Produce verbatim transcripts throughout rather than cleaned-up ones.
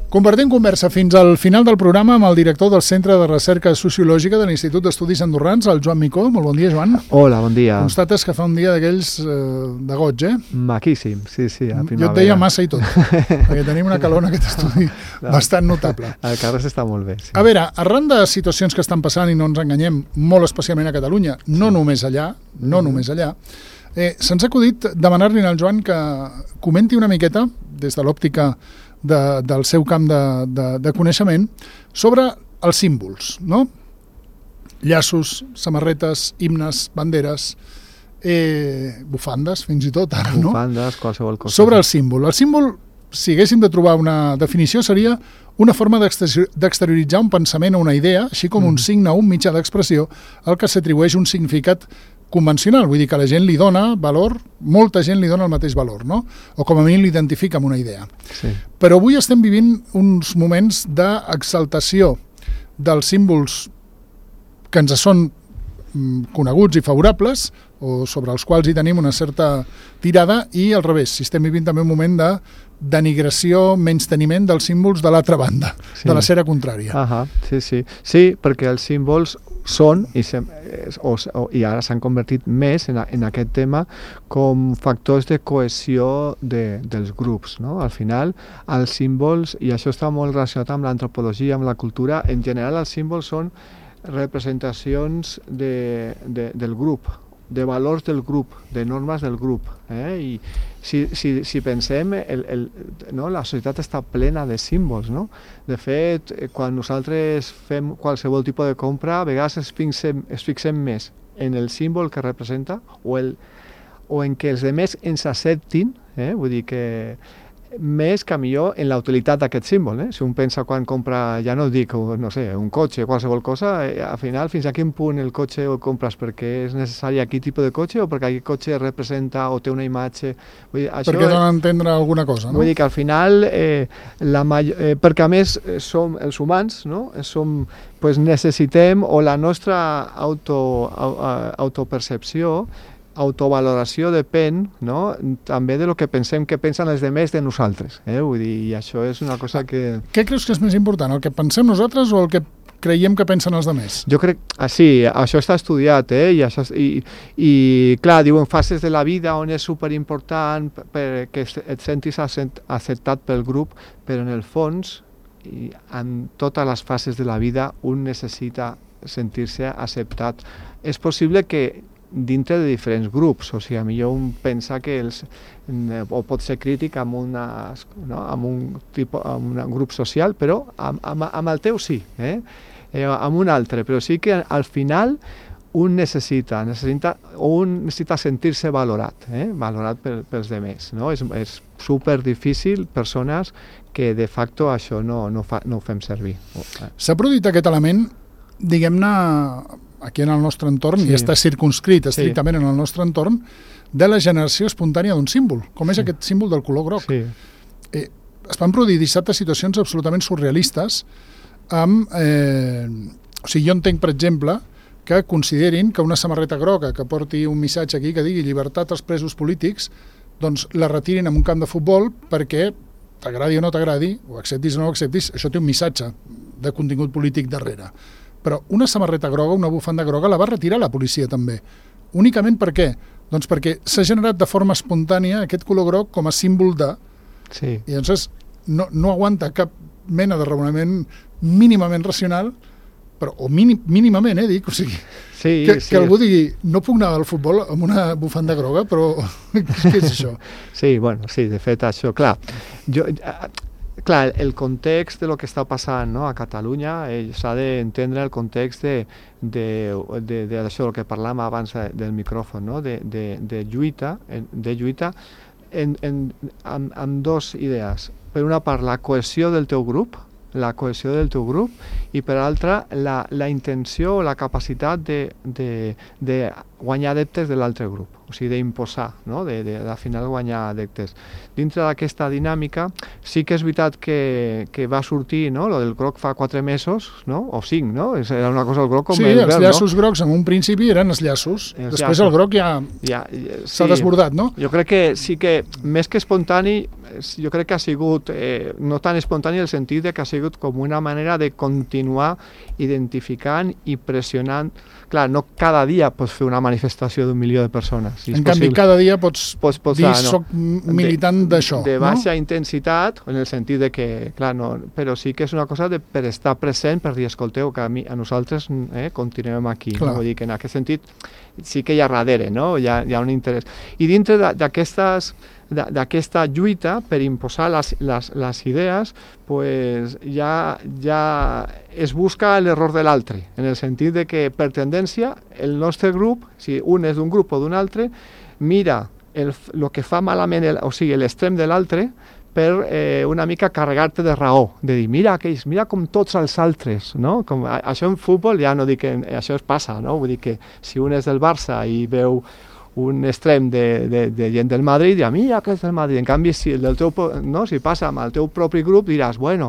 Compartim conversa fins al final del programa amb el director del Centre de Recerca Sociològica de l'Institut d'Estudis Andorrans, el Joan Micó. Molt bon dia, Joan. Hola, bon dia. Constates que fa un dia d'aquells eh, de goig, eh? Maquíssim, sí, sí, a primavera. Jo et deia massa i tot, perquè tenim una calor en aquest estudi no, bastant notable. El carrer està molt bé, sí. A veure, arran de situacions que estan passant, i no ens enganyem, molt especialment a Catalunya, no sí. només allà, no mm. només allà, eh, se'ns ha acudit demanar-li al Joan que comenti una miqueta, des de l'òptica De, del seu camp de, de, de coneixement, sobre els símbols, no? Llaços, samarretes, himnes, banderes, eh, bufandes, fins i tot ara, no? Bufandes, qualsevol cosa. Sobre el símbol. El símbol, si haguéssim de trobar una definició, seria una forma d'exterioritzar un pensament o una idea, així com mm. un signe o un mitjà d'expressió, al que s'atribueix un significat convencional, vull dir que la gent li dona valor, molta gent li dona el mateix valor, no? O com a mínim l'identifica amb una idea. Sí. Però avui estem vivint uns moments d'exaltació dels símbols que ens són coneguts i favorables, o sobre els quals hi tenim una certa tirada, i al revés, si estem vivint també un moment de denigració, menysteniment dels símbols de l'altra banda, sí. de la cera contrària. Ahà, sí, sí. Sí, perquè els símbols són, i, se, o, o, i ara s'han convertit més en, a, en aquest tema, com factors de cohesió de, dels grups, no? Al final, els símbols, i això està molt relacionat amb l'antropologia, amb la cultura, en general els símbols són representacions de, de, del grup, de valors del grup, de normes del grup. Eh? I si, si, si pensem, el, el, no? la societat està plena de símbols. No? De fet, quan nosaltres fem qualsevol tipus de compra, a vegades es fixem, es fixem més en el símbol que representa o, el, o en que els altres ens acceptin, eh? Vull dir que més que millor en la utilitat d'aquest símbol. Eh? Si un pensa quan compra, ja no dic, no sé, un cotxe, qualsevol cosa, eh, al final fins a quin punt el cotxe el compres perquè és necessari aquell tipus de cotxe o perquè aquell cotxe representa o té una imatge. Vull dir, això perquè donen a entendre alguna cosa, no? Vull dir que al final, eh, la major, eh, perquè a més eh, som els humans, no? Som, pues necessitem, o la nostra auto, autopercepció, autovaloració depèn, no? també de lo que pensem que pensen els demés de nosaltres. Eh? Vull dir, i això és una cosa que... Què creus que és més important, el que pensem nosaltres o el que creiem que pensen els demés? Jo crec... Ah, sí, això està estudiat, eh? I, això, i, i clar, diuen fases de la vida on és superimportant que et sentis acceptat pel grup, però en el fons, i en totes les fases de la vida, un necessita sentir-se acceptat. És possible que dintre de diferents grups, o sigui, millor un pensa que els, o pot ser crític amb, una, no? amb, un, tipus, amb un grup social, però amb, amb, amb el teu sí, eh? Eh, amb un altre, però sí que al final un necessita, necessita o un necessita sentir-se valorat, eh? valorat per, pels demés. No? És, és super difícil, persones que de facto això no, no, fa, no ho fem servir. S'ha produït aquest element, diguem-ne, aquí en el nostre entorn, sí. i està circunscrit estrictament sí. en el nostre entorn, de la generació espontània d'un símbol, com és sí. aquest símbol del color groc. Sí. Eh, es van produir dissabte situacions absolutament surrealistes amb... Eh, o sigui, jo entenc, per exemple, que considerin que una samarreta groga que porti un missatge aquí que digui llibertat als presos polítics, doncs la retirin en un camp de futbol perquè, t'agradi o no t'agradi, o acceptis o no acceptis, això té un missatge de contingut polític darrere. Però una samarreta groga, una bufanda groga, la va retirar la policia també. Únicament per què? Doncs perquè s'ha generat de forma espontània aquest color groc com a símbol de... Sí. I llavors no, no aguanta cap mena de raonament mínimament racional, però, o mínim, mínimament, eh, dic, o sigui, sí, que, sí. que algú digui, no puc anar al futbol amb una bufanda groga, però què és això? Sí, bueno, sí, de fet, això, clar, jo... Clar, el context de lo que està passant, no, a Catalunya, eh, s'ha d'entendre el context de, de, de, de això, el que parlàvem abans del micròfon, no, de, de, de lluita, de lluita en, en, amb, amb dos idees. Per una part, la cohesió del teu grup, la cohesió del teu grup, i per altra, la, la intenció o la capacitat de, de, de guanyar adeptes de l'altre grup, o sigui, d'imposar, no? de, de, de al final guanyar adeptes. Dintre d'aquesta dinàmica, sí que és veritat que, que va sortir, no? Lo del groc fa quatre mesos, no? O cinc, no? Era una cosa el groc com sí, el verd, no? Sí, els llaços grocs en un principi eren els llaços, els després llaços. El groc ja, ja, ja s'ha sí, desbordat, no? Jo crec que sí que, més que espontani, jo crec que ha sigut, eh, no tan espontani en el sentit de que ha sigut com una manera de continuar identificant i pressionant. Clar, no cada dia pots fer una manifestació d'un milió de persones. Si en canvi, possible. Cada dia pots, pots posar, dir no, soc militant d'això. De, de baixa no? intensitat, en el sentit de que, clar, no, però sí que és una cosa de, per estar present, per dir, escolteu, que a, mi, a nosaltres eh, continuem aquí. No? Vull dir que en aquest sentit sí que hi ha darrere, no? Hi ha, hi ha un interès. I dintre d'aquestes d'aquesta lluita per imposar les, les, les idees, pues ja, ja es busca l'error de l'altre, en el sentit de que per tendència el nostre grup, si un és d'un grup o d'un altre, mira el, el que fa malament, el, o sigui, l'extrem de l'altre, per eh, una mica carregar-te de raó, de dir, mira aquells, mira com tots els altres, no? Com, a, això en futbol ja no dic que això es passa, no? Vull dir que si un és del Barça i veu un extrem de, de, de gent del Madrid, dirà, mira que és del Madrid. En canvi, si, el del teu, no, si passa amb el teu propi grup, diràs, bueno,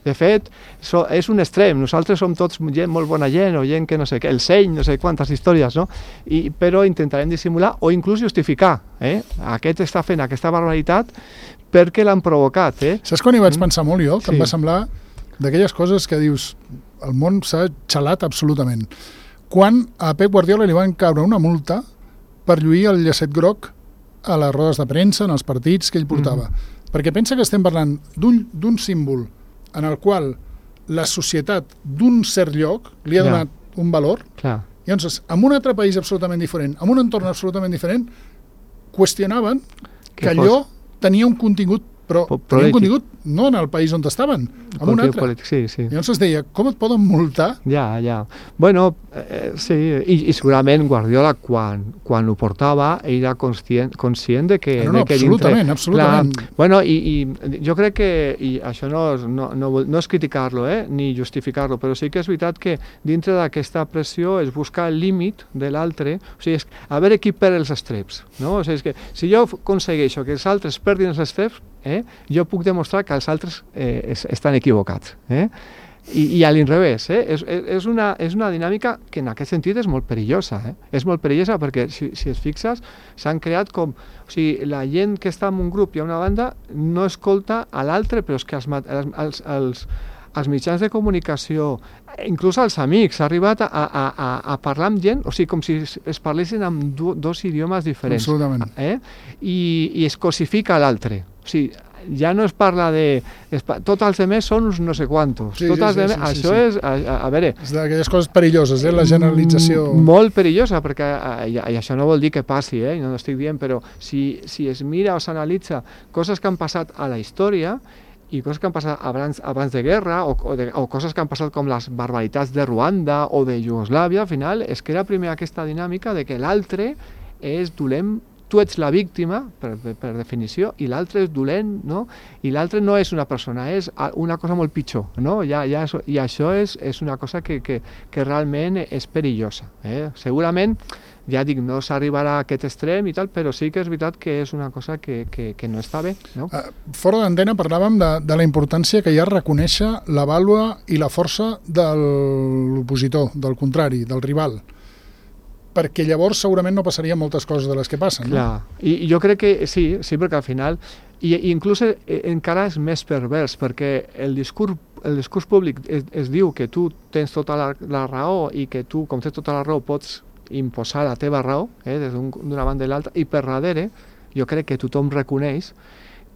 de fet, so, és un extrem, nosaltres som tots gent molt bona gent, o gent que no sé què, el seny, no sé quantes històries, no? I, però intentarem dissimular o inclús justificar, eh? Aquest està fent aquesta barbaritat perquè l'han provocat, eh? Saps quan hi vaig pensar molt jo? Que sí. Em va semblar d'aquelles coses que dius, el món s'ha xalat absolutament. Quan a Pep Guardiola li van caure una multa per lluir el llacet groc a les rodes de premsa, en els partits que ell portava. Mm-hmm. Perquè pensa que estem parlant d'un símbol en el qual la societat d'un cert lloc li ha donat yeah. un valor, Clar. I llavors, en un altre país absolutament diferent, en un entorn absolutament diferent, qüestionaven que, que allò fos... tenia un contingut, però po tenia un contingut no en el país on estaven, en un altre. Polític, sí, sí. I llavors es deia, com et poden multar? Ja, ja. Bueno, eh, sí, I, i segurament Guardiola, quan, quan ho portava, era conscient, conscient de que... No, no, de que absolutament, dintre, absolutament. Clar, bueno, i, i jo crec que, i això no és, no, no, no és criticar-lo, eh, ni justificar-lo, però sí que és veritat que dintre d'aquesta pressió es busca el límit de l'altre, o sigui, és, a veure qui perd els estreps, no? O sigui, és que si jo aconsegueixo que els altres perdin els estreps, eh, jo puc demostrar que els altres eh, es, estan equivocats. Eh? I, i a l'inrevés, eh? és, és, una, és una dinàmica que en aquest sentit és molt perillosa. Eh? És molt perillosa perquè, si, si es fixes, s'han creat com... O sigui, la gent que està en un grup i a una banda no escolta a l'altre, però és que els, els, els, els mitjans de comunicació, inclús els amics, ha arribat a, a, a, a parlar amb gent, o sigui, com si es parlessin amb do, dos idiomes diferents. Absolutament. Eh? I, I es cosifica l'altre. O sigui, ja no es parla de... Es, tots els altres són uns no sé quantos. Sí, tots sí, els sí, demés, sí, això sí. és... A, a veure... És d'aquelles coses perilloses, eh? La generalització... Molt perillosa, perquè i, i això no vol dir que passi, eh? No estic dient, però si, si es mira o s'analitza coses que han passat a la història i coses que han passat abans, abans de guerra o, o, de, o coses que han passat com les barbaritats de Ruanda o de Iugoslàvia, al final es crea primer aquesta dinàmica de que l'altre és dolent, tu ets la víctima, per, per, per definició, i l'altre és dolent, no? I l'altre no és una persona, és una cosa molt pitjor, no? Ja, ja, I això és, és una cosa que, que, que realment és perillosa. Eh? Segurament, ja dic, no s'arribarà a aquest extrem i tal, però sí que és veritat que és una cosa que, que, que no està bé. No? Uh, fora d'antena parlàvem de, de la importància que hi ha reconèixer la vàlua i la força de l'opositor, del contrari, del rival, perquè llavors segurament no passarien moltes coses de les que passen. Clar. No? I, I jo crec que sí, sí, perquè al final, i, i inclús eh, encara és més pervers, perquè el discurs, el discurs públic es, es diu que tu tens tota la, la raó i que tu, com tens tota la raó, pots imposar la teva raó, eh, des d'una un, banda i l'altra, i per darrere jo crec que tothom reconeix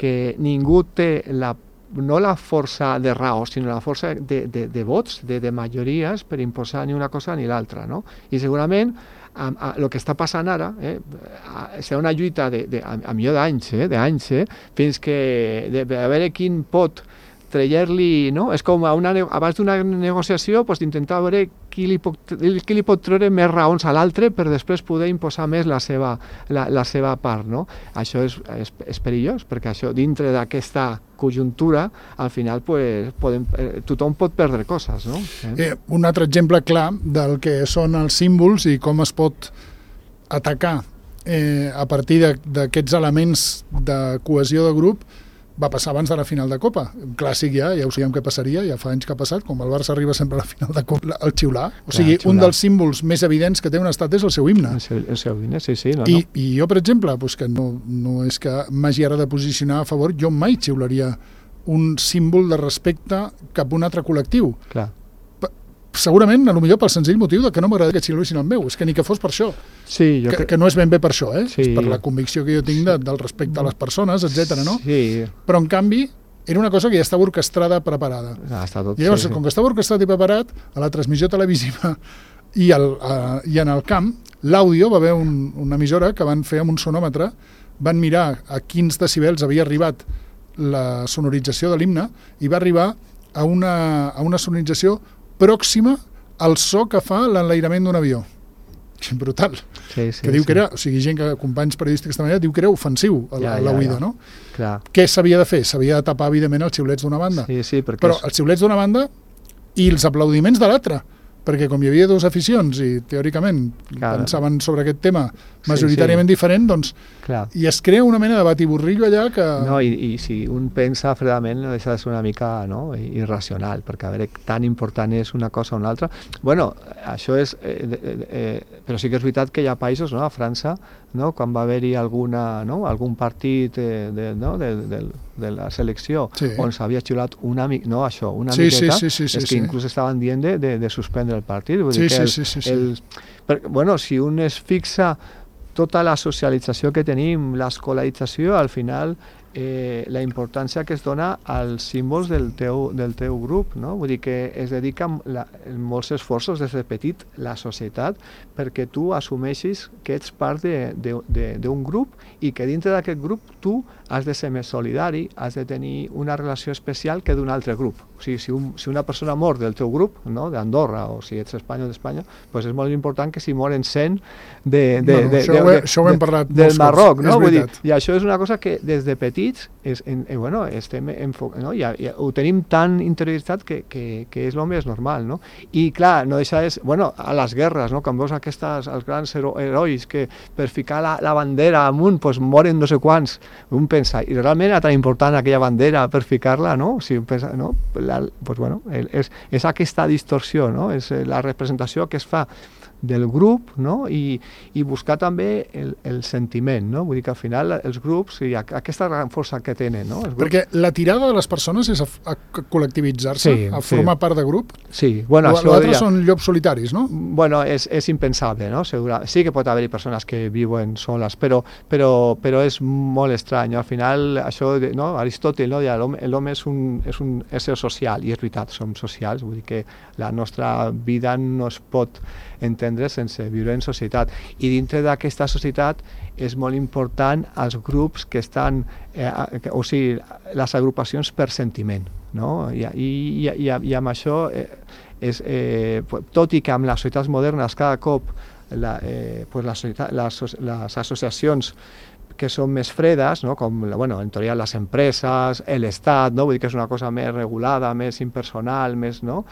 que ningú té la no la força de raó, sinó la força de, de, de vots, de, de majories per imposar ni una cosa ni l'altra, no? I segurament el que està passant ara eh, serà una lluita de, de, a, a millor d'anys, eh, d'anys, eh, fins que de, de a veure quin pot treure-li, no? És com a una, abans d'una negociació pues, d'intentar veure qui li, pot, qui li pot treure més raons a l'altre per després poder imposar més la seva, la, la seva part, no? Això és, és, és perillós, perquè això dintre d'aquesta conjuntura, al final pues, podem, eh, tothom pot perdre coses, no? Eh? Eh, un altre exemple clar del que són els símbols i com es pot atacar eh, a partir d'aquests elements de cohesió de grup va passar abans de la final de Copa. Un clàssic ja, ja ho sabíem què passaria, ja fa anys que ha passat, com el Barça arriba sempre a la final de Copa, el xiular. O sigui, Clar, un dels símbols més evidents que té un estat és el seu himne. El seu, el seu himne, sí, sí. No, I, no. I jo, per exemple, pues que no, no és que m'hagi ara de posicionar a favor, jo mai xiularia un símbol de respecte cap a un altre col·lectiu. Clar. Segurament, a lo millor pel senzill motiu de que no m'agrada que xiulissin el meu, és que ni que fos per això. Sí, jo que, crec... que no és ben bé per això, eh? Sí. És per la convicció que jo tinc de, del respecte a les persones, etcètera, no? Sí. Però, en canvi, era una cosa que ja estava orquestrada, preparada. Ah, està tot, I llavors, sí, sí. com que estava orquestrat i preparat, a la transmissió televisiva i, al, a, i en el camp, l'àudio va haver un, una emissora que van fer amb un sonòmetre, van mirar a quins decibels havia arribat la sonorització de l'himne i va arribar a una, a una sonorització pròxima al so que fa l'enlairament d'un avió. Brutal. Sí, sí, que diu sí. que era, o sigui, gent que, companys periodístics de manera, diu que era ofensiu a, Ja, a la ja, oïda, ja. no? Clar. Què s'havia de fer? S'havia de tapar, evidentment, els xiulets d'una banda. Sí, sí, perquè... Però els xiulets d'una banda i els aplaudiments de l'altra, perquè com hi havia dues aficions i teòricament Clar. pensaven sobre aquest tema majoritàriament sí, sí. diferent, doncs Clar. i es crea una mena de batiborrillo allà que... No, i, i si un pensa fredament no deixa de ser una mica, no, irracional, perquè a veure, tan important és una cosa o una altra. Bueno, això és... Eh, eh, eh, però sí que és veritat que hi ha països, no?, a França, no?, quan va haver-hi alguna, no?, algun partit eh, de, no?, de, de, de la selecció Sí. on s'havia xiulat una mica, no, això, una Sí, miqueta, sí, sí, sí, sí, és que sí. inclús estaven dient de, de, de suspendre el partit. Vull Sí, dir que el, sí, sí, sí, sí. el, per, bueno, si un es fixa tota la socialització que tenim, l'escolarització, al final eh, la importància que es dona als símbols del teu, del teu grup, no? Vull dir que es dedica la, molts esforços des de petit la societat perquè tu assumeixis que ets part d'un grup i que dintre d'aquest grup tu has de ser més solidari, has de tenir una relació especial que d'un altre grup. O sigui, si, un, si una persona mor del teu grup, no?, d'Andorra, o si ets espanyol d'Espanya, doncs és molt important que si moren cent de, de, No, de, això de, ho he- de, això ho hem parlat del molts Marroc, cops, no? és Vull dir, veritat. i això és una cosa que des de petits és, en, eh, bueno, estem enfo, no? I, i ho tenim tan interioritzat que, que, que és el més normal, no? I clar, no deixa de ser, bueno, a les guerres, no?, quan veus aquestes, els grans hero, herois que per ficar la, la bandera amunt pues, moren no sé quants, un pensa, i realment era tan important aquella bandera per ficar-la, no? O sigui, un pensa, no? La, pues, bueno, és, és aquesta distorsió, no? És la representació que es fa del grup, no? I, i buscar també el, el sentiment, no? Vull dir que al final els grups i aquesta gran força que tenen, no? Els grups... Perquè la tirada de les persones és a, a col·lectivitzar-se, Sí, a sí. formar part de grup. Sí, bueno, això L'altre ja... són llops solitaris, no? Bueno, és, és impensable, no? Segura... Sí que pot haver-hi persones que viuen soles, però, però, però és molt estrany. Al final, això, de, no? Aristòtil, no? L'home és un, és un ésser social, i és veritat, som socials, vull dir que la nostra vida no es pot entendre sense viure en societat. I dintre d'aquesta societat és molt important els grups que estan, eh, o sigui, les agrupacions per sentiment, no? I, i, i, i amb això, eh, és, eh, tot i que amb les societats modernes cada cop la, eh, pues la societat, les, les associacions que són més fredes, no? Com bueno, en teoria les empreses, l'Estat, no? Vull dir que és una cosa més regulada, més impersonal, més, no?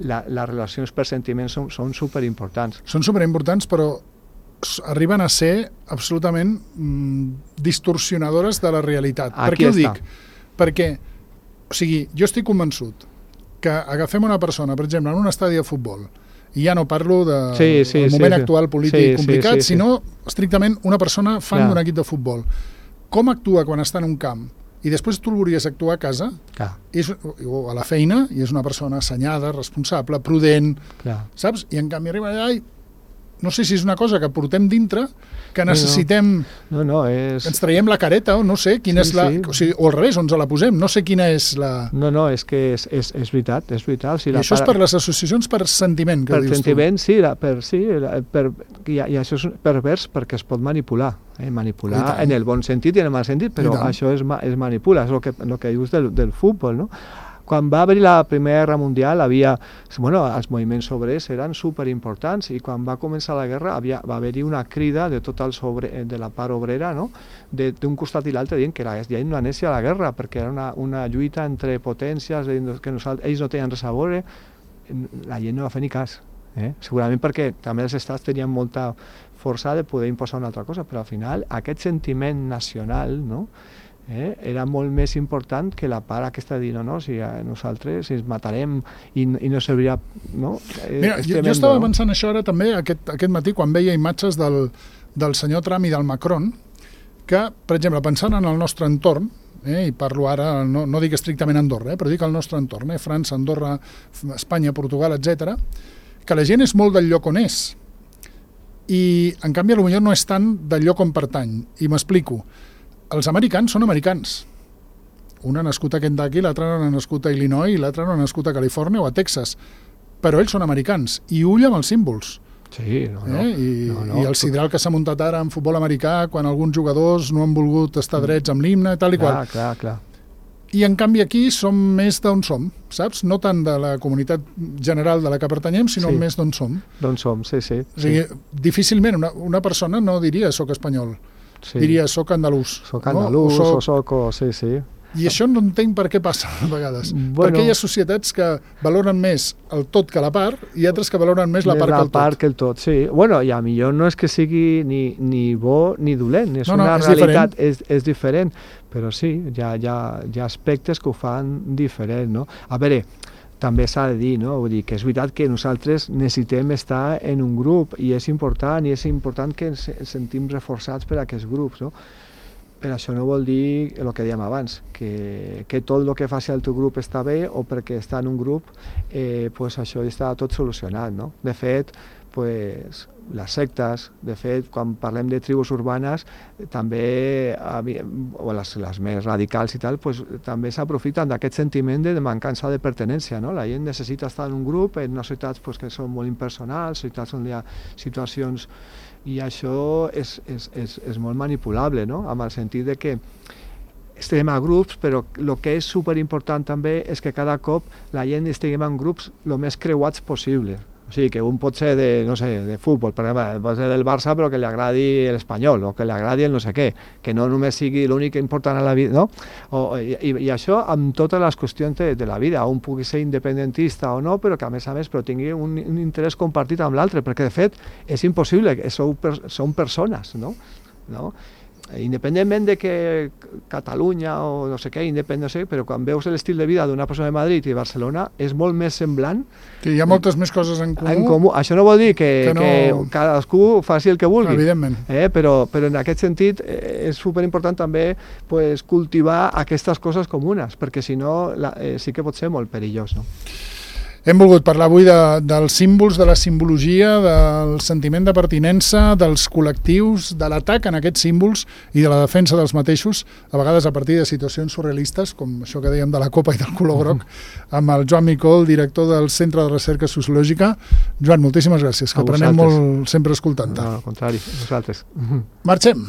La, les relacions per sentiments són, són superimportants. Són superimportants, però s- arriben a ser absolutament mm, distorsionadores de la realitat. Aquí per què ho està. dic? Perquè, o sigui, jo estic convençut que agafem una persona, per exemple, en un estadi de futbol, i ja no parlo del de, Sí, sí, moment sí, sí. actual polític Sí, sí, complicat, sí, sí. sinó estrictament una persona fan Clar. d'un equip de futbol. Com actua quan està en un camp i després tu el volies actuar a casa, Clar, és, o a la feina, i és una persona assenyada, responsable, prudent, clar. saps? I en canvi arriba allà i no sé si és una cosa que portem dintre, que necessitem, No, no, és... que ens traiem la careta, o no sé quina Sí, és la... sí. O, sigui, o al revés, on ens la posem, no sé quina és la... No, no, és que és, és, és veritat, és veritat. O sigui, I la això és para- per les associacions per sentiment, que per dius sentiment, sí, la, per, sí la, per, i, i això és pervers perquè es pot manipular, eh? I manipular tant. en el bon sentit i en el mal sentit, però I tant. això es, ma- es manipula, és el que, el que dius del, del futbol, no? Quan va haver la Primera Guerra Mundial, havia, bueno, els moviments obrers eren superimportants i quan va començar la guerra havia, va haver-hi una crida de tot els obre, de la part obrera, no? De- d'un costat i l'altre dient que la gent no anés a la guerra perquè era una, una lluita entre potències, que nosaltres, ells no tenien res a veure, la gent no va fer ni cas. Eh? Segurament perquè també els estats tenien molta força de poder imposar una altra cosa, però al final aquest sentiment nacional, no? Eh? era molt més important que la part aquesta de dir, no, no, si nosaltres ens matarem i, i no servirà... No? Mira, jo, jo estava pensant això ara també aquest, aquest matí quan veia imatges del, del senyor Trump i del Macron, que, per exemple, pensant en el nostre entorn, eh, i parlo ara, no, no dic estrictament Andorra, eh, però dic el nostre entorn, eh, França, Andorra, Espanya, Portugal, etcètera, que la gent és molt del lloc on és, i en canvi potser no és tant del lloc on pertany, i m'explico. Els americans són americans. Un ha nascut a Kentucky, l'altre ha nascut a Illinois i l'altre ha nascut a Califòrnia o a Texas, però ells són americans, i ull amb els símbols. Sí, no, no. Eh? I, no, no. I el sidral que s'ha muntat ara en futbol americà quan alguns jugadors no han volgut estar drets amb l'himne i tal i clar, qual. Clar, clar. I en canvi aquí som més d'on som, saps? No tant de la comunitat general de la que pertanyem, sinó sí. més d'on som. D'on som, sí, sí. O sigui, sí. Difícilment una, una persona no diria soc espanyol, sí. diria soc andalús. Soc andalús, no? o soc... O, sí, sí. I això no entenc per què passa a vegades. Bueno, perquè hi ha societats que valoren més el tot que la part i altres que valoren més la part, la que, el part que el tot. Sí. Bueno, i a millor no és que sigui ni, ni bo ni dolent, és no, no, una és realitat, diferent. És, és diferent, però sí, hi ha, hi, ha, hi ha aspectes que ho fan diferent, no? A veure, també s'ha de dir, no? Vull dir que és veritat que nosaltres necessitem estar en un grup i és important, i és important que ens sentim reforçats per aquests grups, no? Però això no vol dir el que dèiem abans, que, que tot el que faci el teu grup està bé o perquè està en un grup eh, pues això està tot solucionat, no? De fet, pues, les sectes, de fet, quan parlem de tribus urbanes, també, o les, les més radicals i tal, pues, també s'aprofiten d'aquest sentiment de mancança de pertinença, no? La gent necessita estar en un grup, en unes ciutats pues, que són molt impersonals, ciutats on hi ha situacions, i això és, és, és, és molt manipulable, no? Amb el sentit de que estem a grups, però el que és superimportant també és que cada cop la gent estiguem en grups el més creuats possible. O sigui, que un pot ser de, no sé, de futbol, per exemple, pot ser del Barça però que li agradi l'Espanyol o que li agradi el no sé què, que no només sigui l'únic important a la vida, no? O, i, i això amb totes les qüestions de, de la vida, un pugui ser independentista o no, però que a més a més però tingui un, un interès compartit amb l'altre, perquè de fet és impossible, que sou, són persones, no? no? Independentment de que Catalunya o no sé què, independent, no sé, però quan veus l'estil de vida d'una persona de Madrid i de Barcelona és molt més semblant. Que hi ha moltes més coses en comú. En comú. Això no vol dir que, que, no... que cadascú faci el que vulgui. Evidentment. Eh? Però, però en aquest sentit eh, és superimportant també pues, cultivar aquestes coses comunes, perquè si no la, eh, sí que pot ser molt perillós, no? Hem volgut parlar avui de, dels símbols, de la simbologia, del sentiment de pertinença, dels col·lectius, de l'atac en aquests símbols i de la defensa dels mateixos, a vegades a partir de situacions surrealistes, com això que dèiem de la copa i del color groc, amb el Joan Micol, director del Centre de Recerca Sociològica. Joan, moltíssimes gràcies, que aprenem molt sempre escoltant-te. No, al contrari, nosaltres. Marxem.